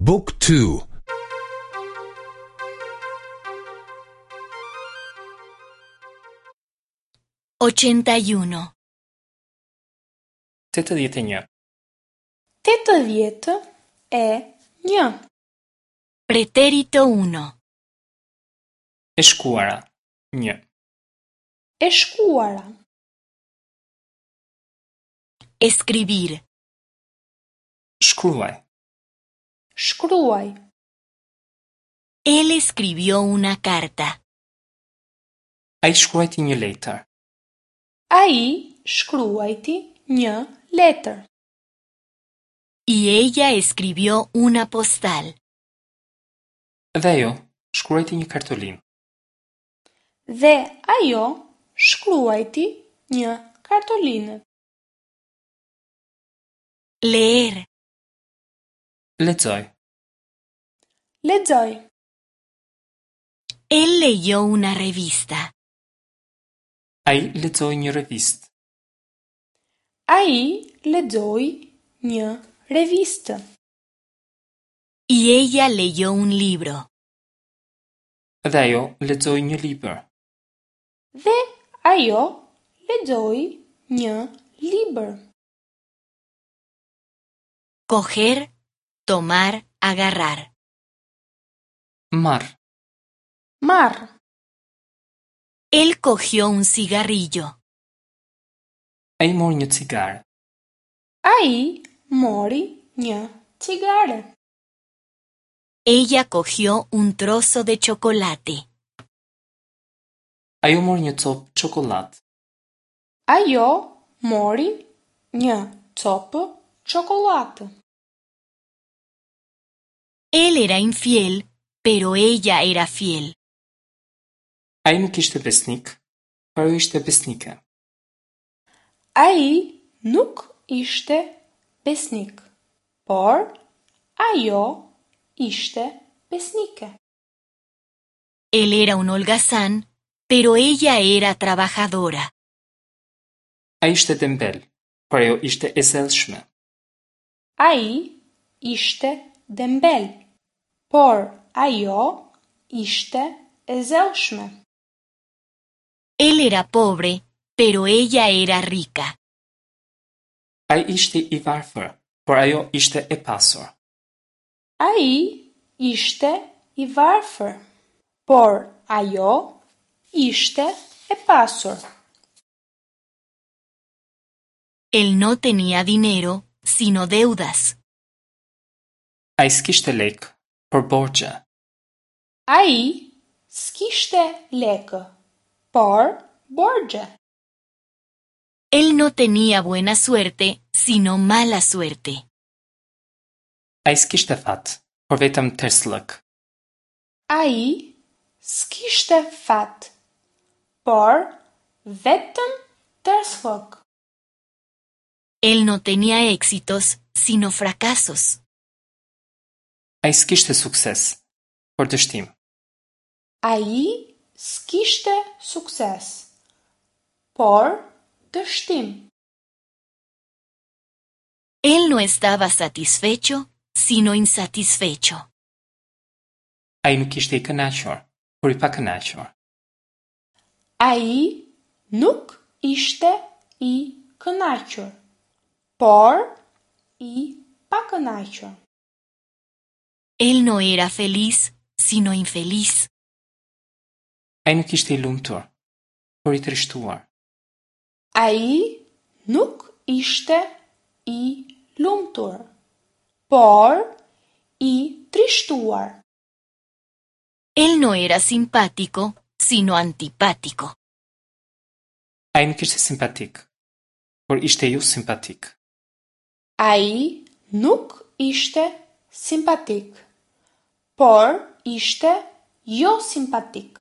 Book 2 81. 81. 81. Pretérito 1. E shkuara. 1. E shkuara. Escribir. Shkruaj. Shkruaj. Él escribió una carta. Ai shkruajti një letër. Ai shkruajti një letër. Y ella escribió una postal. Dhe ajo shkruajti një kartolinë. Dhe ajo shkruajti një kartolinë. Leer. Lexoj. Lexoj. Él leyó una revista. Ai lexoi një revistë. Ai lexoi një revistë. Y ella leyó un libro. Dhe ajo lexoi një libër. Dhe ajo lexoi një libër. Coger, tomar, agarrar. Marr. Marr. Él cogió un cigarrillo. Ai mori një cigare. Ai mori një cigare. Ella cogió un trozo de chocolate. Ajo mori një copë çokollatë. Ajo mori një copë çokollatë. Él era infiel, pero ella era fiel. Ai nuk ishte besnik, por ajo ishte besnike. Ai nuk ishte besnik, por ajo ishte besnike. Él era un holgazán, pero ella era trabajadora. Ai ishte dembel, por ajo ishte e zellshme. Ai ishte dembel, por ajo ishte e zellshme. Él era pobre, pero ella era rica. Ai ishte i varfër, por ajo ishte e pasur. Ai ishte i varfër, por ajo ishte e pasur. Él no tenía dinero, sino deudas. Ai s'kishte lekë, por borxhe. Ai s'kishte lekë, por borxhe. Él no tenía buena suerte, sino mala suerte. Ai s'kishte fat, por vetëm tersllëk. Ai s'kishte fat, por vetëm tersllëk. Él no tenía éxitos, sino fracasos. Ai s'kishte sukses, por dështim. Ai s'kishte sukses, por dështim. Él no estaba satisfecho, sino insatisfecho. Ai nuk ishte i kënaqur, por i pakënaqur. Ai nuk ishte i kënaqur, por i pakënaqur. Él no era feliz, sino infeliz. Ai nuk ishte i lumtur, por i trishtuar. Ai nuk ishte i lumtur, por i trishtuar. Él no era simpático, sino antipático. Ai nuk ishte simpatik, por ishte jo simpatik. Ai nuk ishte simpatik, por ishte jo simpatik.